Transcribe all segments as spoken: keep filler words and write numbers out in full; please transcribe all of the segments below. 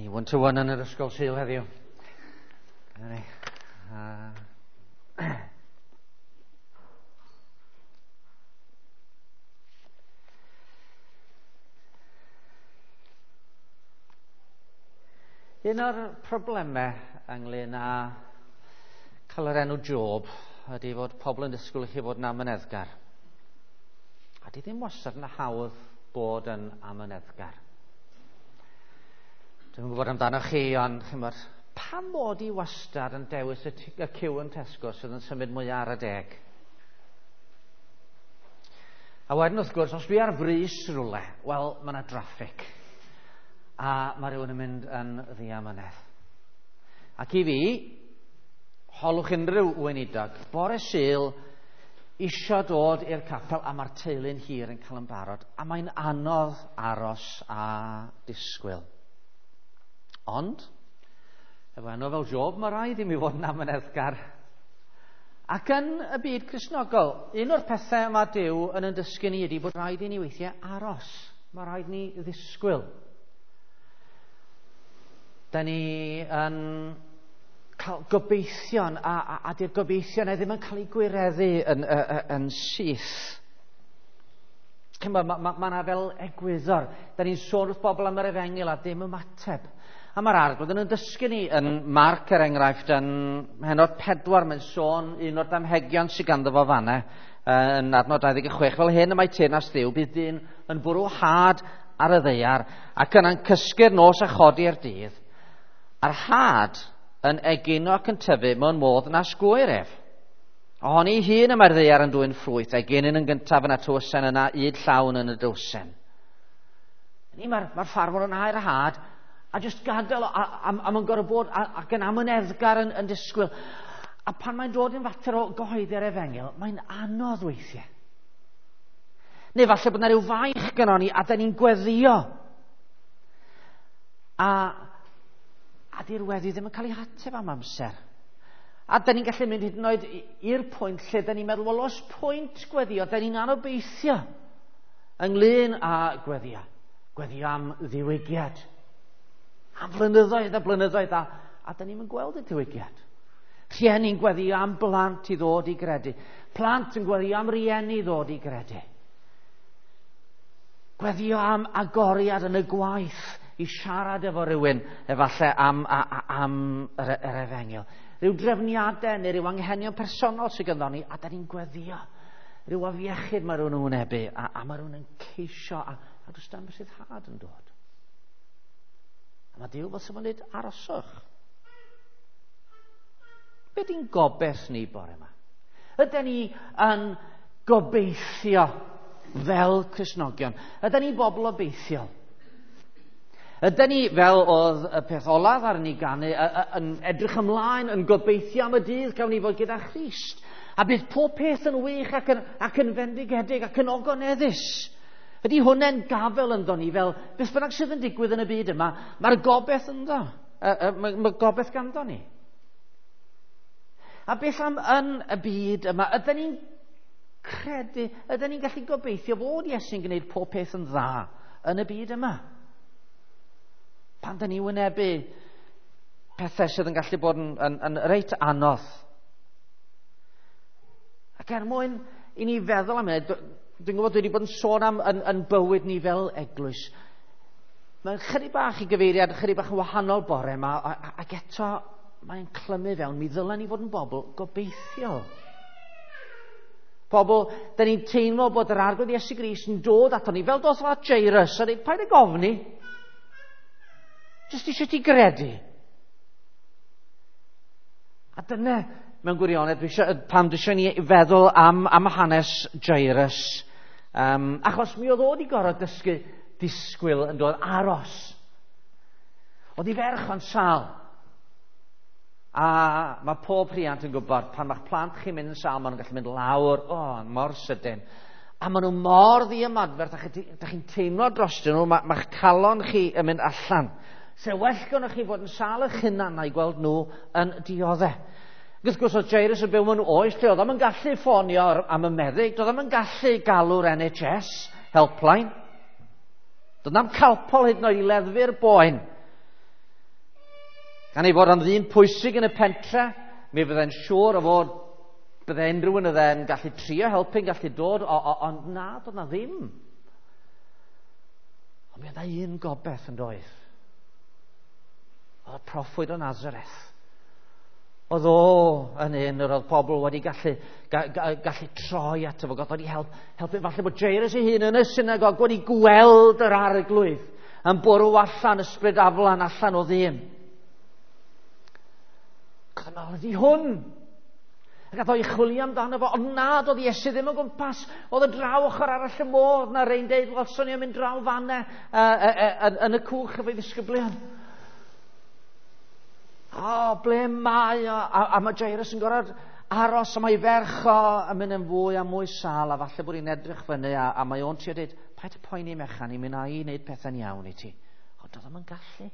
Ni one to one yn yr ysgol Sul heddiw. Dyna ni. Uh, Un o'r problemau ynglyn â cael yr enw Job ydy fod pobl yn disgwyl i chi fod yn amyneddgar. A di ddim wastad yn hawdd bod yn amyneddgar. Dwi'm yn gwybod amdano chi, ond chimod, pam mod i wastad yn dewis y, y cyw yn Tesco sydd yn symud mwy ar y deg? A wedyn wrth gwrs, os dwi ar frys rhywle, wel, mae yna draffig. A mae rhywun yn mynd yn ddiamynedd. Ac i fi, holwch unrhyw weinidog, bore Sul, isio dod i'r capel a mae'r teulu'n hir yn cael yn barod, a mae'n anodd aros a disgwyl. Ond, efo enw fel Job, mae rhaid i mi fod yn amyneddgar. Ac yn y byd Cristnogol, un o'r pethau mae Duw yn yn dysgu ni ydy bod rhaid i ni weithiau aros. Mae rhaid ni ddisgwyl. Da ni yn cael gobeithion, a, a, a di'r gobeithion e ddim yn cael ei gwireddu yn, yn, yn syth. Mae ma, ma, ma 'na fel egwyddor. Da ni'n sôn wrth bobl am yr efengyl a dim ymateb. A mae'r Arglwydd yn dysgu ni yn Marc, er enghraifft, yn pennod pedwar, mae'n sôn un o'r damhegion sydd ganddo fo fanna, yn adnod dau ddeg chwech, fel hyn y mae teyrnas Dduw, bydd dyn yn bwrw had ar y ddaear ac yna'n cysgu'r nos a chodi'r dydd, a'r had yn egino ac yn tyfu mewn modd nas gŵyr ef. Ohoni hun y mae'r ddaear yn dwyn ffrwyth, eginyn yn gyntaf yna tywysen yna, ŷd llawn yn y dywsen. Mae'r ma ffarmwr yn hau'r had, a jyst gadael, a, a, a mae'n gorfod bod a, ac yn amyneddgar yn, yn disgwyl. A pan mae'n dod yn fater o gyhoeddi'r efengyl, mae'n anodd weithiau. Neu falle bod yna rhyw faich gynnon ni a da ni'n gweddio. A, a di'r weddi ddim yn cael ei hateb am amser. A da ni'n gallu mynd hyd yn oed i'r pwynt lle da ni'n meddwl, wel, oes pwynt gweddio, da ni'n anobeithio ynglyn â gweddio. Gweddio am ddiwygiad. Am flynyddoedd a blynyddoedd, a, a da ni'n gweld y diwygiad. Rhieni'n gweddio am blant i ddod i gredu. Plant yn gweddio am rieni i ddod i gredu. Gweddio am agoriad yn y gwaith i siarad efo rhywun, efallai am, a, a, am yr, yr efengyl. Rhyw drefniadau neu rhyw anghenion personol sydd ganddo ni, a da ni'n gweddio. Rhyw afiechyd mae rhywun yn wynebu, a, a mae rhywun yn ceisio, a, a does dim rhyddhad yn dod. A mae Duw fel sy'n dweud, aroswch. Be di'n gobeith ni bore yma? Ydyn ni yn gobeithio fel Cristnogion? Ydyn ni bobl obeithiol? Ydyn ni, fel oedd y peth olaf ar ni ganu, yn edrych ymlaen, yn gobeithio am y dydd gawn ni fod gyda Christ? A bydd pob peth yn wych ac yn, ac yn fendigedig ac yn ogoneddus. Ydy hwnna'n gafel ynddo ni fel beth bynnag sydd yn digwydd yn y byd yma, mae'r gobeith ynddo, mae, mae gobeith ganddo ni. A beth am yn y byd yma, ydyn ni'n credu, ydyn ni'n gallu gobeithio fod Iesu'n gwneud pob peth yn dda yn y byd yma? Pan dyn ni wynebu pethau sydd yn gallu bod yn, yn, yn reit anodd. Ac er mwyn i ni feddwl am hynny, dwi'n gwybod dwi wedi bod yn sôn am yn, yn bywyd ni fel eglwys. Mae'n chydig bach i gyfeiriad, chydig bach yn wahanol bore yma, ac eto mae'n clymu fewn. Mi ddylen ni fod yn bobl gobeithiol. Pobl, da ni'n teimlo bod yr Arglwydd Iesu Grist yn dod ato ni, fel doth at Jairus, a dweud, paid ag ofni. Jyst eisiau ti gredu. A dyna, mewn gwirionedd, dwi eisiau, pam dwi eisiau ni feddwl am, am hanes Jairus. Um, achos mi oedd o wedi gorfod dysgu disgwyl yn dod aros. Oedd ei ferch o'n sâl. A mae pob rhiant yn gwybod, pan mae'ch plant chi'n mynd yn sâl, maen nhw'n gallu mynd lawr, o, oh, mor sydyn. A maen nhw mor ddiymadferth, a chi, chi'n teimlo drostyn nhw, mae'ch ma calon chi yn mynd allan. Se well gynnoch chi fod yn sâl eich hunan na'i gweld nhw yn dioddef. Wrth gwrs, oedd Jairus yn byw mewn oes lle oedd o'm yn gallu ffonio am y meddyg, doedd o'm yn gallu galw'r N H S helpline. Doedd na'm calpol hyd yn oed i leddfu'r boen. Gan ei fod o'n ddyn pwysig yn y pentre, mi fyddai'n siŵr o fod bydde unrhyw un yn gallu trio helpu'n gallu dod, o, o, ond na, doedd na ddim. Ond mi oedd un gobeith yn doedd. Oedd y proffwyd o Nazareth. Oedd o yn un yr oedd pobl wedi gallu, ga, ga, gallu troi ato fo, oedd wedi help, helpu. Falle bod Jairus ei hun yn y synagog wedi gweld yr arglwydd yn bwrw allan ysbryd aflan allan o ddyn. Ac oedd yn meddwl, ydi hwn? Ac gath o'i chwilio amdano fo, ond nad oedd Iesu ddim o gwmpas. Oedd y draw ochr arall y môr, na rei'n deud, welson ni yn mynd draw fanne uh, uh, uh, yn y cwch efo'i ddisgyblion. O, ble mae o? A, a mae Jairus yn gorfod aros, a mae ferch o yn mynd yn fwy a mwy sâl, a falle bod hi'n edrych fyny, a, a mae o'n trio dweud, paid y poeni mechan, i'n mynd â i wneud pethau'n iawn i ti. Ond doedd o'm yn gallu.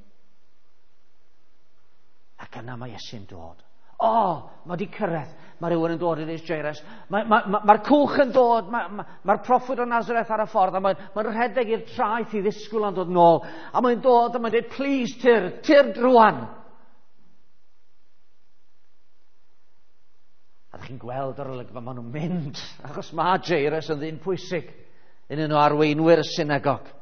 Ac yna mae Iesu'n dod. O, mae wedi cyrraedd. Mae rhywun yn dod i ddeud Jairus. Mae'r ma, ma, ma cwch yn dod, mae'r ma, ma proffwyd o Nazareth ar y ffordd, a mae'n ma rhedeg i'r traeth i ddisgwyl yn dod nôl. A mae'n dod a mae'n dweud, please, tyr, tyr drwan. A ddech chi'n gweld yr olygfa, maen nhw'n mynd, achos mae Jairus yn ddyn pwysig, un un o arweinwyr y synagog.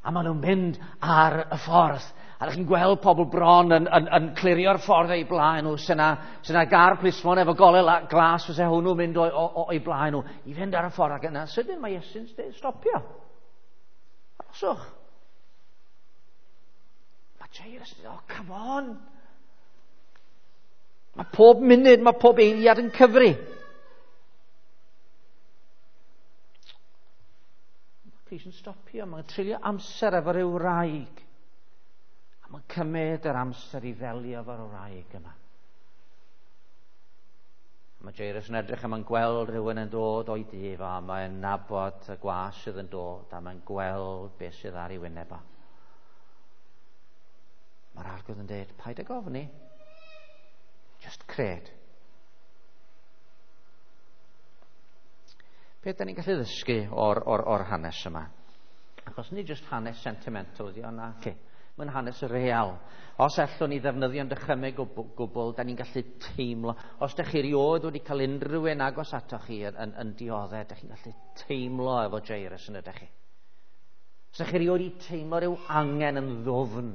A maen nhw'n mynd ar y ffordd. A ddech chi'n gweld pobl bron yn, yn, yn clirio'r ffordd o'i blaen nhw. Sy'n na gar plismon efo golau glas fysa hwnnw mynd o'i blaen nhw i fynd ar y ffordd. Ac yna sydyn mae Iesu'n stopio. Aroswch. Mae Jairus yn dweud, oh, come on. Mae pob munud, mae pob eiliad yn cyfri. Mae Crist yn stopio, mae'n treulio amser efo ryw wraig. A mae'n cymryd yr amser i ddelio efo'r wraig yma. A mae Jairus yn edrych a mae'n gweld rhywun yn dod o'i dŷ fo, a mae'n nabod y gwas sydd yn dod, a mae'n gweld beth sydd ar ei wyneb o. Mae'r Arglwydd yn dweud, paid ag ofni. Just cred. Beth da ni'n gallu ddysgu o'r, or, or hanes yma? Achos nid just hanes sentimental ydi o, na. Okay. Mae'n hanes real. Os allwn ni ddefnyddio'n dychymyg o gwbl, da ni'n gallu teimlo. Os da chi erioed wedi cael unrhyw un agos atoch chi yn, yn, yn dioddef, da chi'n gallu teimlo efo Jairus yn ydych chi. Os da chi erioed wedi teimlo rhyw angen yn ddwfn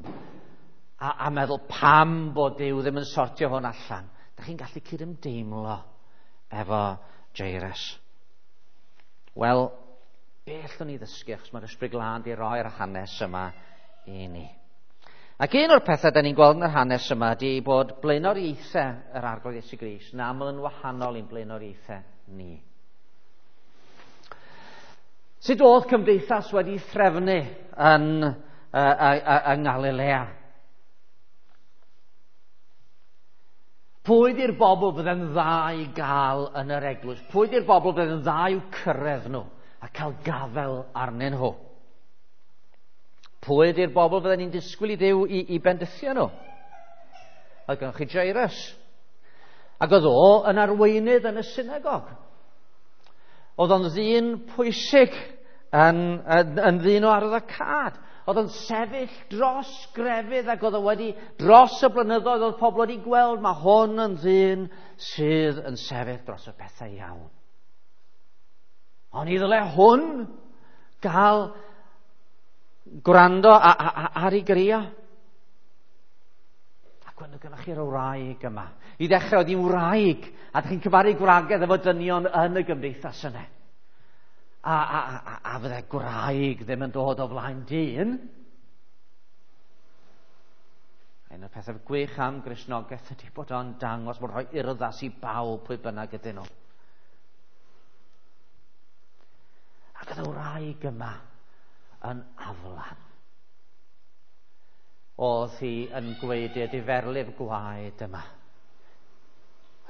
a, a meddwl pam bod Duw ddim yn sortio hwn allan, da chi'n gallu cydymdeimlo efo Jairus. Wel, be allwn ni ddysgu, achos mae'r Ysbryd Glân di roi'r hanes yma i ni. Ac un o'r pethau da ni'n gweld yn yr hanes yma ydy bod blaenoriaethau yr Arglwydd Iesu Grist yn aml yn wahanol i'n blaenoriaethau ni. Sut oedd cymdeithas wedi threfnu yn, uh, uh, uh, yng Nghalilea? Pwy di'r bobl fydde'n dda i gael yn yr eglwys? Pwy di'r bobl fydde'n dda i'w cyrraedd nhw a cael gafel arnyn nhw? Pwy ydy'r bobl fydden ni'n disgwyl i Dduw i, i bendithio nhw? Oedd gennych chi Jairus. Ac oedd o yn arweinydd yn y synagog. Oedd o'n ddyn pwysig, yn, yn, yn ddyn o arwyddocâd. Oedd o'n sefyll dros grefydd ac oedd o wedi, dros y blynyddoedd, oedd pobl wedi gweld mae hwn yn ddyn sydd yn sefyll dros y pethau iawn. Ond i ddyle hwn gael gwrando a, a, a, ar ei grio. Ac wedyn gynnwch chi'r wraig yma. I ddechrau oedd hi'n wraig, a ydych chi'n cyfaru gwragedd efo dynion yn y gymdeithas yna. A, a, a, a fydde gwraig ddim yn dod o flaen dyn. Un o'r pethau gwych am Gristnogaeth ydy bod o'n dangos bod rhoi urddas i bawb pwy bynnag ydyn nhw. Ac oedd y wraig yma yn aflan. Oedd hi yn gweud i'r diferlif gwaed yma.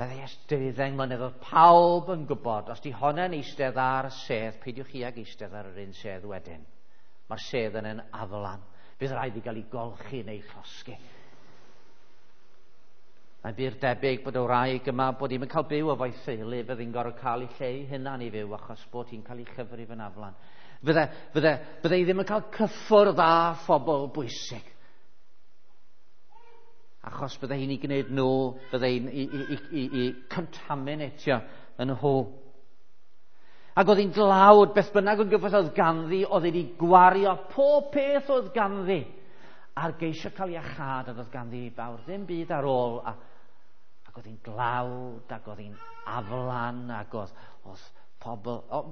Oedd hi ers deuddeng mlynedd, oedd pawb yn gwybod, os di honna'n eistedd ar y sedd, peidiwch chi ag eistedd ar yr un sedd wedyn. Mae'r sedd yn yn aflan. Bydd rhaid i gael ei golchi neu llosgi. Mae'n bur debyg bod y wraig yma, bod hi'n cael byw efo'i theulu, fydd hi'n gorfod cael ei lle ei hunan i fyw, achos bod hi'n cael ei chyfrif yn aflan. Fydde, fydde, fydde hi ddim yn cael cyffwrdd â phobl bwysig. Achos bydde hi'n ei gwneud nhw, bydde hi'n i, i, i, i, i contaminatio yn nhw. Ac oedd hi'n dlawd, beth bynnag o'n gyfoeth oedd ganddi, oedd hi'n ei gwario pob peth oedd ganddi. A'r geisio cael iachâd a oedd ganddi fawr ddim byd ar ôl. A, ac oedd hi'n dlawd, ac oedd hi'n aflan, ac oedd, oedd pobl... O,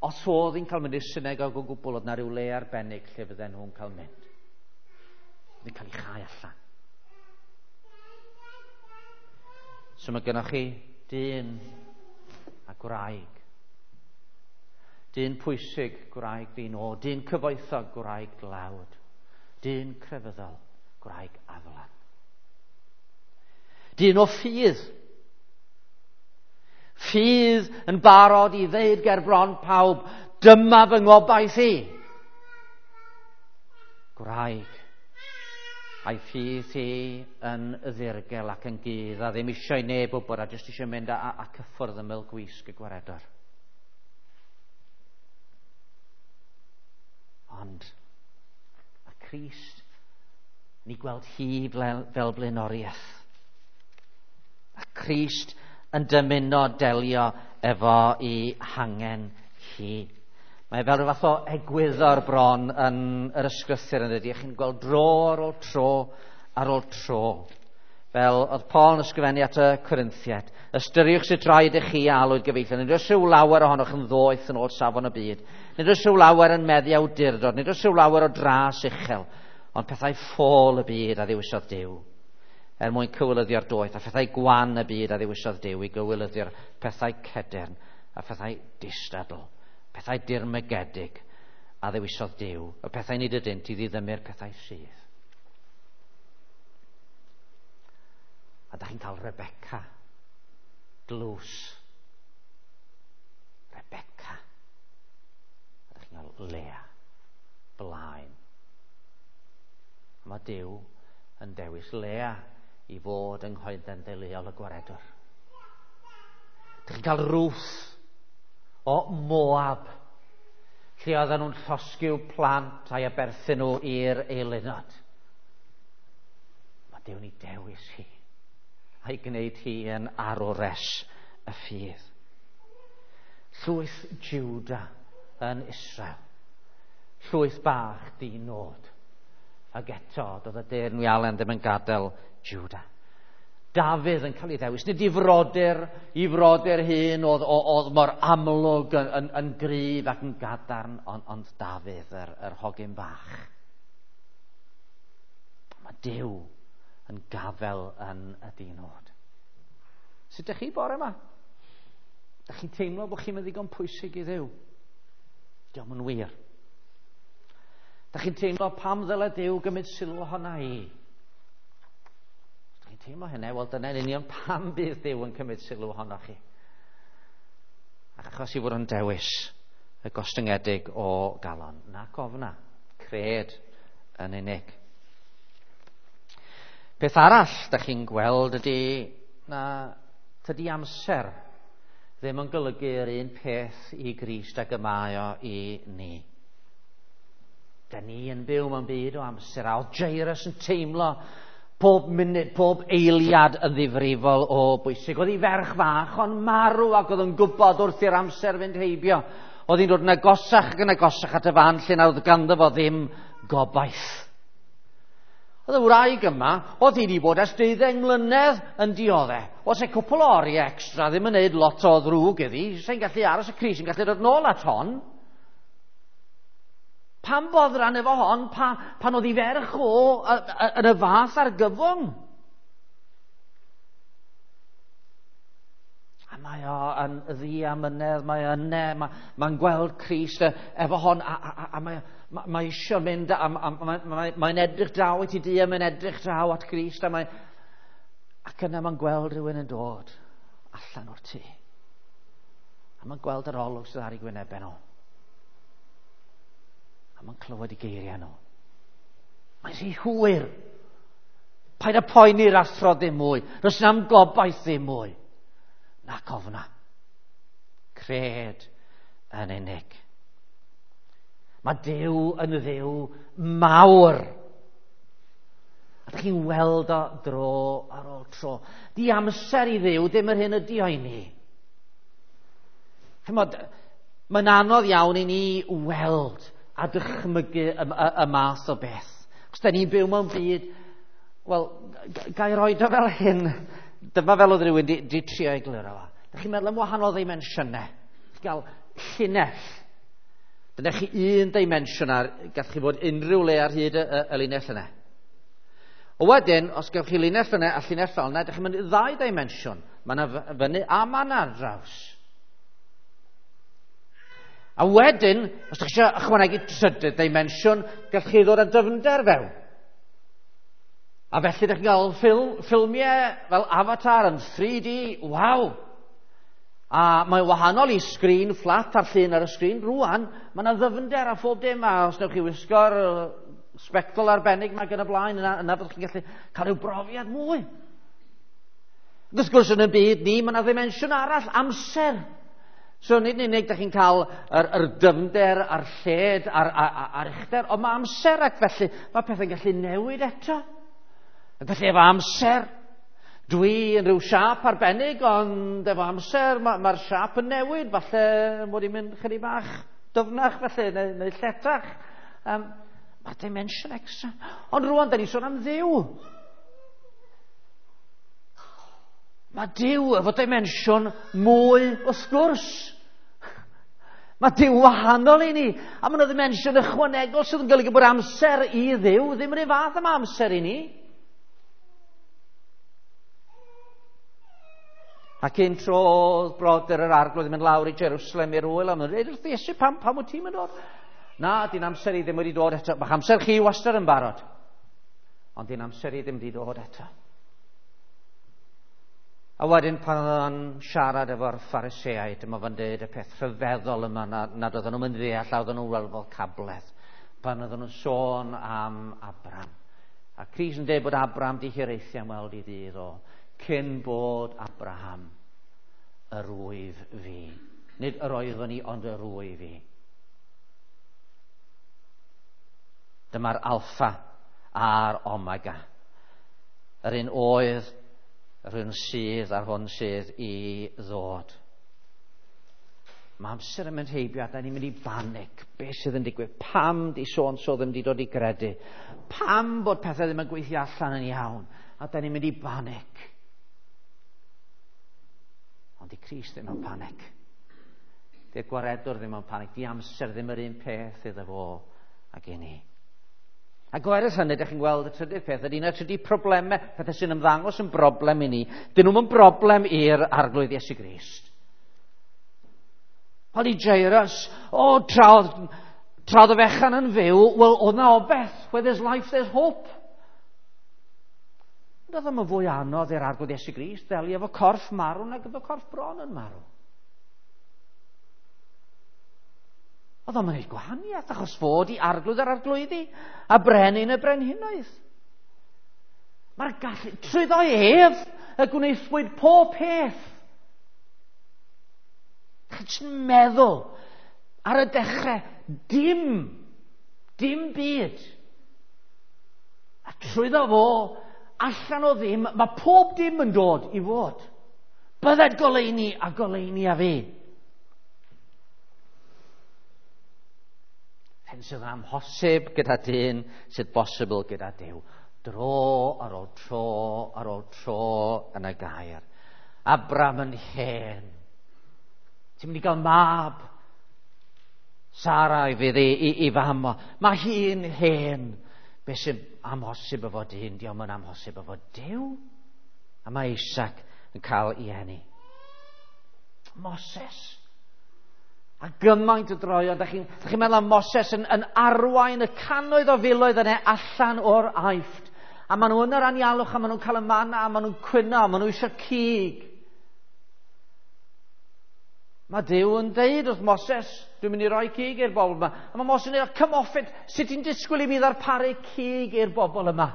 os oedd hi'n cael mynd i'r synagog o gwbl, oedd na ryw le arbennig lle fydden nhw'n cael mynd. Oedd hi'n cael ei chau allan. So mae gennych chi dyn a gwraig. Dyn pwysig, gwraig dyn o. Dyn cyfoethog, gwraig dlawd. Dyn crefyddol, gwraig aflan. Dyn o ffydd. Ffydd yn barod i ddeud ger bron pawb, dyma fy ngobaith i. Gwraig, a'i ffydd hi yn ddirgel ac yn gudd, a ddim eisiau neb wybod, a jyst eisiau mynd a, a, a cyffwrdd ymyl gwisg y gwaredwr. Ond mae Crist yn ei gweld hi fel, fel blaenoriaeth. Mae Crist yn dymuno delio efo i hangen hi. Mae fel rhyw fath o egwyddor bron yn yr ysgrythur yn dydi. Chi'n gweld dro ar ôl tro ar ôl tro. Fel oedd Paul yn ysgrifennu at y Corinthiaid. Ystyriwch sut rhaid i chi alwyd gyfeillion. Nid oes rhyw lawer ohonoch yn ddoeth yn ôl safon y byd. Nid oes rhyw lawer yn meddu awdurdod. Nid oes rhyw lawer o dras uchel. Ond pethau ffôl y byd a ddewisodd Duw, er mwyn cywilyddio'r doeth, a phethau gwan y byd a ddewisodd Duw i gywilyddio'r pethau cedern a phethau distadl, pethau dirmygedig a ddewisodd Duw, y pethau nid ydynt i ddiddymu'r pethau sydd. A da chi'n cael Rebecca, glws. Rebecca. A da chi'n cael Lea, blaen. A mae Duw yn dewis Lea i fod yng nghoeden deuluol y gwaredwr. Dych chi'n cael Ruth o Moab, lle oedden nhw'n llosgi'w plant a'i aberthu nhw i'r eilunod. Mae Duw'n ei dewis hi a'i gwneud hi yn arwres y ffydd. Llwyth Juda yn Israel, llwyth bach di-nod, ac eto doedd y deyrnwialen ddim yn gadael Juda. Dafydd yn cael ei ddewis, nid i frodyr, i frodyr hyn oedd, oedd mor amlwg yn, yn, yn gryf ac yn gadarn, ond, ond Dafydd, yr, yr hogyn bach. Mae Duw yn gafel yn y dinod. Sut ydych chi bore yma? Ydych chi'n teimlo bod chi'n ddigon pwysig i Dduw? Diolch yn wir. Ydych chi'n teimlo pam ddyle Duw gymryd sylw ohona i? Ydych chi'n teimlo hynny? Wel, dyna'n union pam bydd Duw yn cymryd sylw ohonoch chi. Achos i fod yn dewis y gostyngedig o galon. Nac ofna, cred yn unig. Peth arall ydych chi'n gweld ydy na tydi amser ddim yn golygu yr un peth i Grist ag y mae o i ni. Da ni yn byw mewn byd o amser, a oedd Jairus yn teimlo pob munud, pob eiliad yn ddifrifol o bwysig. Oedd ei ferch fach o'n marw ac oedd yn gwybod wrth i'r amser fynd heibio. Oedd hi'n dod yn agosach ac yn agosach at y fan lle na oedd ganddo fo ddim gobaith. Oedd y wraig yma, oedd hi wedi bod ers deuddeng mlynedd yn dioddef. Oes e cwpl o oriau extra ddim yn neud lot o ddrwg iddi. Sa'n gallu aros y Crist yn gallu dod nôl at hon. Pam boddran efo hon, pa, pan oedd hi ferch o yn y fath argyfwng? A mae o yn ddiamynedd, mae o yne, mae, mae'n gweld Crist efo hon, a, a, a, a mae, mae, mae eisiau mynd, a, a, a mae, mae, mae'n edrych draw at ei dŷ, a mae'n edrych draw at Crist, a mae, ac yna mae'n gweld rhywun yn dod allan o'r tŷ. A mae'n gweld yr olwg sydd ar ei gwynebau nhw. A mae'n clywed i geiriau nhw. Mae'n rhy hwyr. Paid â poeni'r athro ddim mwy. Does na'm gobaith ddim mwy. Nac ofna. Cred yn unig. Mae Duw yn Dduw mawr. A dych chi'n weld o dro ar ôl tro. Di amser i Dduw, ddim yr hyn ydi o i ni. Chymod, mae'n anodd iawn i ni weld a dychmygu y, y, y math o beth. Chos da ni'n byw mewn byd, wel, ga i roed o fel hyn, dyma fel oedd rhywun di, di trio egluro fo. Da chi'n meddwl am wahanol ddimensiynau. Chi'n gael llinell. Dyna chi un dimensiwn ar, gall chi fod unrhyw le ar hyd y, y, y linell yna. O wedyn, os gewch chi linell yna a llinell fel yna, ydych chi'n mynd i ddau dimensiwn. Mae yna fyny a mae yna ar draws. A wedyn, os ydych chi eisiau ychwanegu trydydd dimensiwn, gallwch chi ddod â dyfnder fewn. A felly ydych chi'n cael ffilm, ffilmiau fel Avatar yn three D, waw! A mae'n wahanol i sgrin fflat a'r llun ar y sgrin. Rwan, mae yna ddyfnder a phob dim, a os newch chi wisgo'r sbectol arbennig mae gen y blaen, yna, yna fyddwch chi'n gallu cael rhyw brofiad mwy. Wrth gwrs, yn y byd ni, mae yna ddimensiwn arall, amser. So nid yn unig ydych chi'n cael yr, yr dyfnder a'r lled a'r, a'r, a'r uchder, ond mae amser, ac felly mae pethau'n gallu newid eto. Ac felly efo amser, dwi yn rhyw siâp arbennig, ond efo amser mae'r ma siâp yn newid, falle mod i'n mynd chydig bach dyfnach felly, neu, neu lletach. Um, Mae dimension extra. Ond rwan, da ni'n sôn am Dduw. Mae Duw efo dimensiwn mwy wrth gwrs. Mae Duw wahanol i ni. A mae yna ddimensiwn ychwanegol sydd yn golygu bod amser i Dduw ddim yr un fath am amser i ni. Ac un tro oedd brodyr yr Arglwydd yn mynd lawr i Jerusalem i'r wyl, a maen nhw'n dweud wrth Iesu, pam, pam wyt ti'n mynd dod? Na, di'n amser i ddim wedi dod eto. Mae'ch amser chi wastad yn barod. Ond di'n amser i ddim wedi dod eto. A wedyn pan oedd o'n siarad efo'r Phariseaid, dyma fo'n dweud y peth rhyfeddol yma na, nad oedden nhw'n mynd ddeall, a oedden nhw'n weld fel cabledd. Pan oedden nhw'n sôn am Abraham. A Crist yn dweud bod Abraham di hiraethu am weld i ddydd o, cyn bod Abraham, yr wyf fi. Nid yr oeddwn i, ond yr wyf fi. Dyma'r alffa a'r omega. Yr un oedd, yr un sydd a'r hwn sydd i ddod. Mae amser yn mynd heibio a da ni'n mynd i banig. Be sydd yn digwydd? Pam di so-and-so ddim wedi dod i gredu? Pam bod pethau ddim yn gweithio allan yn iawn? A da ni'n mynd i banig. Ond di Crist ddim mewn panig. Di'r gwaredwr ddim mewn panig. Di amser ddim yr un peth iddo fo ag i ni. Ac oherwydd hynny, ydych chi'n gweld y trydydd peth, ydy yna trydydd problemau, pethau sy'n ymddangos yn broblem i ni. Dyn nhw'm yn broblem i'r Arglwydd Iesu Grist. Wel i Jairus, o, tra oedd, tra oedd y fechan yn fyw, wel, oedd na obeth. Where there's life, there's hope. Ond oedd o'n fwy anodd i'r Arglwydd Iesu Grist ddelio efo corff marw nag efo corff bron yn marw. Oedd o'n gwneud gwahaniaeth achos fod i arglwydd yr arglwyddi a brenin y brenhinoedd. Mae'r gallu, trwyddo ef y gwnaethpwyd pob peth. Chi'n meddwl ar y dechrau, dim, dim byd. A trwyddo fo, allan o ddim, mae pob dim yn dod i fod. Bydded goleuni a goleuni a fi. Hyn sydd amhosib gyda dyn, sydd bosibl gyda Duw. Dro ar ôl tro ar ôl tro yn y gair. Abraham yn hen. Ti'n mynd i gael mab. Sara i fydd i, i, i fam o. Mae hi'n hen. Be sy'n amhosib efo dyn, diolch yn amhosib efo Duw. A mae Isaac yn cael ei eni. Moses. A gymaint o droion, da chi'n chi meddwl am Moses yn, yn arwain y cannoedd o filoedd yna allan o'r Aifft. A maen nhw yn yr anialwch, a maen nhw'n cael y manna, a maen nhw'n cwyno, a maen nhw eisiau cig. Mae Duw yn deud wrth Moses, dwi'n mynd i roi cig i'r bobl yma. A mae Moses yn dweud, come off it, sut ti'n disgwyl i mi ddarparu cig i'r bobl yma?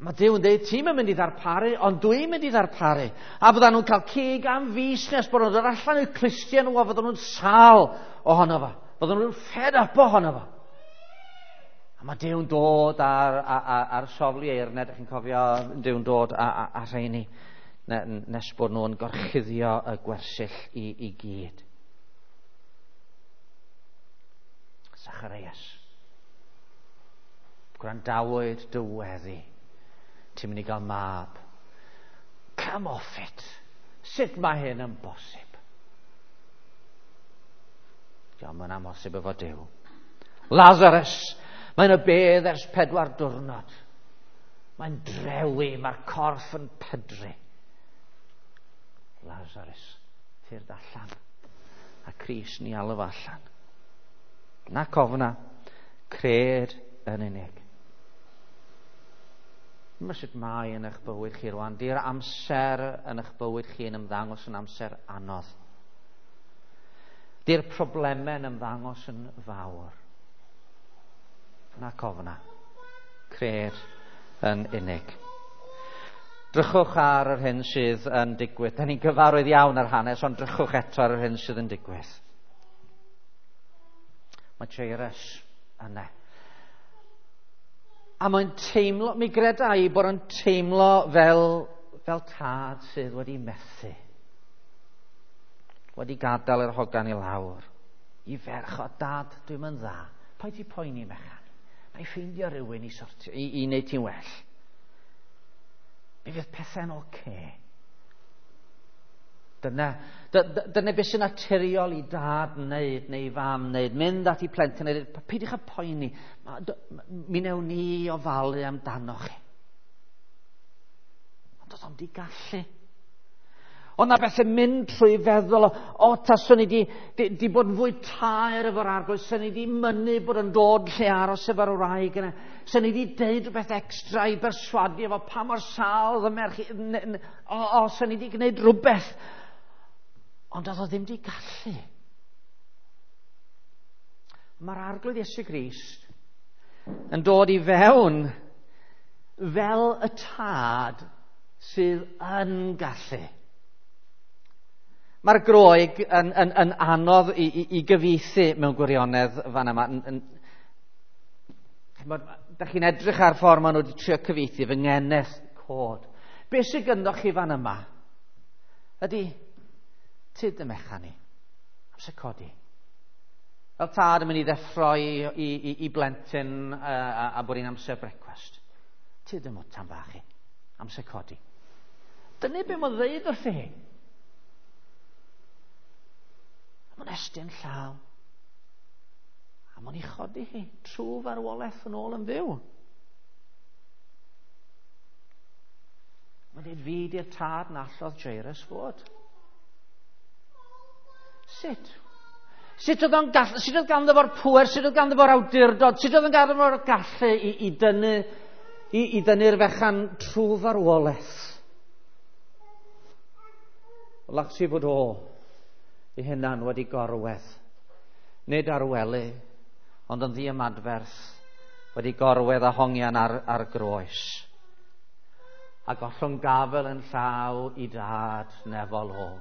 Mae Duw yn dweud, ti'n mynd i ddarparu, ond dwi'n mynd i ddarparu. A fyddan nhw'n cael cig am fis nes bod nhw'n dod allan i'w clustiau nhw a fyddan nhw'n sâl ohono fo. Fyddan nhw'n fed up ohono fo. A mae Duw'n dod ar, ar, ar, ar soflu eirned, ydych chi'n cofio Duw'n dod ar, ar rheini nes bod nhw'n gorchuddio y gwersyll i, i gyd. Zacharias, gwrandawyd dy weddi, ti'n mynd i gael mab. Come off it. Sut mae hyn yn bosib? Diolch yn amhosib efo Duw. Lazarus, mae'n y bedd ers pedwar diwrnod. Mae'n drewi, mae'r corff yn pydru. Lazarus, tyrd allan. A Crist ni alw allan. Na cofna, cred yn unig. Dyma sut mae yn eich bywyd chi rwan. Di'r amser yn eich bywyd chi yn ymddangos yn amser anodd. Di'r problemau yn ymddangos yn fawr. Na cofna, cred yn unig. Drychwch ar yr hyn sydd yn digwydd. Da ni'n gyfarwydd iawn ar hanes, ond drychwch eto ar yr hyn sydd yn digwydd. Mae Jairus yna. A mae'n teimlo, mi greda i bod yn teimlo fel, fel tad sydd wedi methu. Wedi gadael yr hogan i lawr. I ferch o dad, dwi'n mynd dda. Paid ti poeni mechan. Na i ffeindio rhywun i, sortio, i, i wneud ti'n well. Mi fydd pethau'n oce. Okay. Dyna, dyna beth sy'n naturiol i dad wneud neu i fam wneud. Mynd at i plentyn a dweud, peidiwch â poeni, mi newn ni ofalu amdano chi. Ond oedd o'n di gallu. Ond na beth yn mynd trwy feddwl, o, taswn i di, di, di bod yn fwy taer efo'r arglwydd, swn i di mynnu bod yn dod lle aros efo'r wraig yna, swn i di deud rhywbeth extra i berswadio efo pa mor sâl oedd y merch, o, o, swn i di gwneud rhywbeth. Ond oedd o ddim di gallu. Mae'r arglwydd Iesu Grist yn dod i fewn fel y tad sydd yn gallu. Mae'r Groeg yn, yn, yn anodd i, i, i gyfieithu mewn gwirionedd fan yma. Da chi'n edrych ar ffordd maen nhw wedi trio cyfieithu fy ngeneth cod. Be sydd gynddo chi fan yma ydy tyd y mechan ni, amser codi. Fel tad yn mynd i ddeffro i, i, i, i blentyn a, a, a bod hi'n amser brecwast. Tyd y mwtan bach i, amser codi. Dyna be mae'n ddeud wrthi hi. A mae'n estyn llaw. A mae'n ei chodi hi trwy farwolaeth yn ôl yn fyw. Mae'n dweud fi di'r tad na allodd Jairus fod. Sut? Sut oedd o'n gallu, sut oedd ganddo fo'r pŵer, sut oedd ganddo fo'r awdurdod, sut oedd ganddo fo'r gallu i, i dynnu i, i dynnu'r fechan trwy farwolaeth? Lacsi fod o i hunan wedi gorwedd, nid ar wely, ond yn ddiymadferth, wedi gorwedd a hongian ar, ar groes. A gollwng gafel yn llaw i dad nefol o.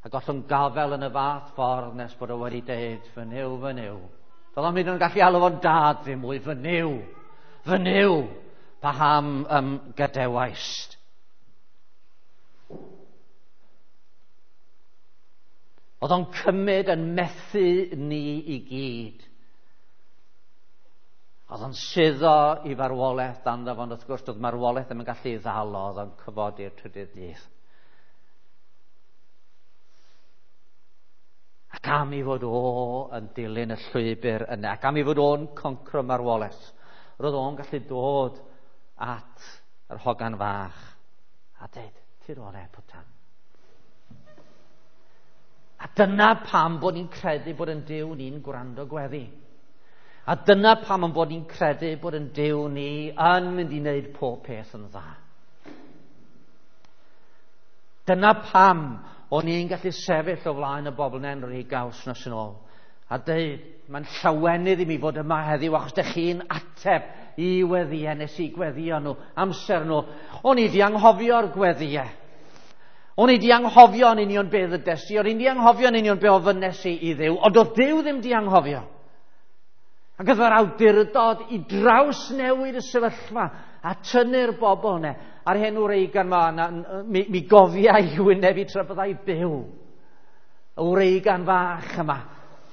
A gollwng gafel yn y fath ffordd nes bod o wedi deud, fy Nuw, fy Nuw. Doedd o'n mynd yn gallu alw fo'n dad ddim mwy, fy Nuw, fy Nuw, paham ym gadewaist. Oedd o'n cymryd yn methu ni i gyd. Oedd o'n suddo i farwolaeth dan ddafon, wrth gwrs, doedd marwolaeth ddim yn gallu ei ddal o, oedd o'n cyfodi'r trydydd dydd. Ac am i fod o yn dilyn y llwybr yna, ac am i fod o'n concro marwolaeth, roedd o'n gallu dod at yr hogan fach a dweud, ti'n o'r e, pwtan. A dyna pam bod ni'n credu bod yn Duw ni'n gwrando gweddi. A dyna pam yn bod ni'n credu bod yn Duw ni yn mynd i wneud pob peth yn dda. Dyna pam o'n i'n gallu sefyll o flaen y bobl yn rhy gaws nos yn ôl. A dweud, mae'n llawenydd i mi fod yma heddiw achos dych chi'n ateb i weddïau nes i gweddio nhw, amser nhw. O'n i di anghofio'r gweddïau. O'n i di anghofio yn union beth ddydes i, o'n i di anghofio yn union be ofynnes i i Dduw, ond oedd Duw ddim di anghofio. Ac oedd yr awdurdod i drawsnewid y sefyllfa a tynnu'r bobl yna. A'r hen wreigan ma, na, mi, mi gofia i wyneb i tra byddai byw. Y wreigan fach yma.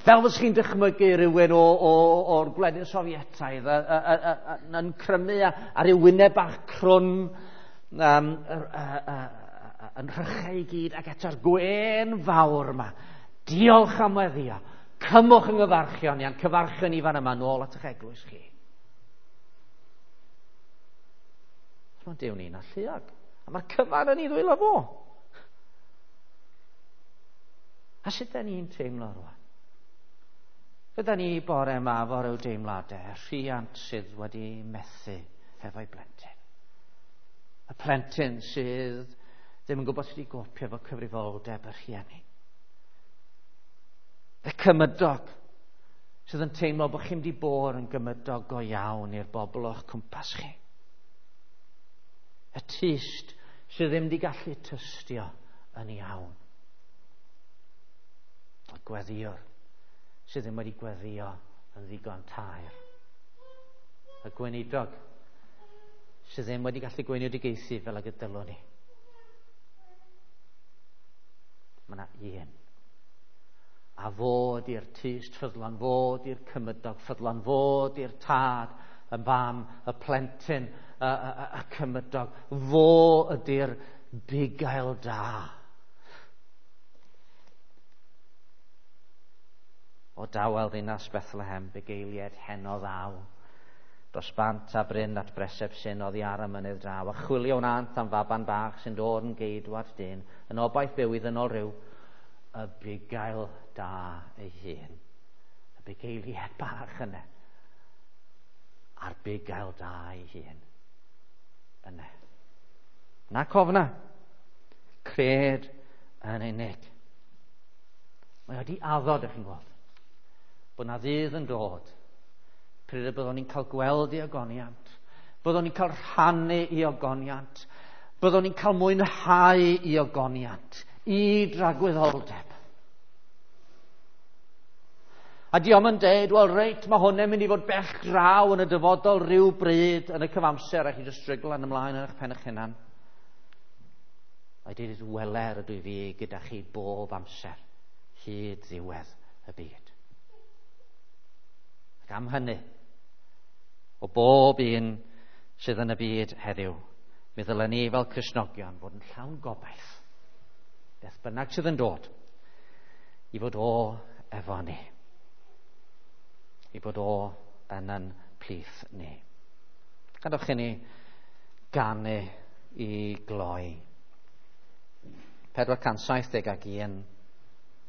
Fel fes chi'n dychmygu rhywun o, o, o'r gwledydd Sofietaidd a, a, a, a, yn crymu a, ar ei wyneb bach crwn um, a, a, a, a, yn rhychau i gyd ac eto'r gwên fawr yma. Diolch am weddio. Cymwch yng nghyfarchion ni, a'n cyfarchion i fan yma nôl at eich eglwys chi. Mae Duw ni'n alluog. A mae'r cyfan yn ei ddwylo fo. A sut da ni'n teimlo rwan? Gyda ni bore yma efo ryw deimladau, rhiant sydd wedi methu hefo'i blentyn. Y plentyn sydd ddim yn gwybod sut i gopio efo cyfrifoldeb y rhieni. Y cymydog sydd yn teimlo bod chi'n di bod yn gymydog go iawn i'r bobl o'ch cwmpas chi. Y tyst sydd ddim di gallu tystio yn iawn. Y gweddiwr sydd ddim wedi gweddio yn ddigon taer. Y gweinidog sydd ddim wedi gallu gweinidogaethu fel ag y dylwn ni. Mae yna un. A fod i'r tyst ffyddlon, fod i'r cymydog ffyddlon, fod i'r tad, y fam, y plentyn, y, y, y, y cymydog. Fo ydy'r bugail da. O dawel ddinas Bethlehem, bugeilied heno ddaw. Dros bant a bryn at breseb sy'n oddi ar y mynydd draw. A chwilio wnant am faban bach sy'n dod yn geidwad dyn, yn obaith byw i ddynol rhyw, y bugail da ei hun. Y bugeiliad bach yna. A'r bugail da ei hun. Yna. Na cofna. Cred yn unig. Mae wedi addo, dych chi'n gweld, bod na ddydd yn dod pryd y byddwn ni'n cael gweld ei ogoniant, byddwn ni'n cael rhannu ei ogoniant, byddwn ni'n cael mwynhau ei ogoniant, i dragwyddoldeb. A diom yn deud, wel reit, mae hwn yn mynd i fod bell draw yn y dyfodol rhyw bryd yn y cyfamser a chi jyst strygl yn ymlaen yn eich pen eich hunan. Mae dweud, weler ydw i fi gyda chi bob amser, hyd ddiwedd y byd. Ac am hynny, o bob un sydd yn y byd heddiw, mi ddylen ni fel Cristnogion fod yn llawn gobaith, beth bynnag sydd yn dod, i fod o efo ni. I fod o yn yn plith ni. Gadewch i ni ganu i gloi. pedwar cant saith deg ac un.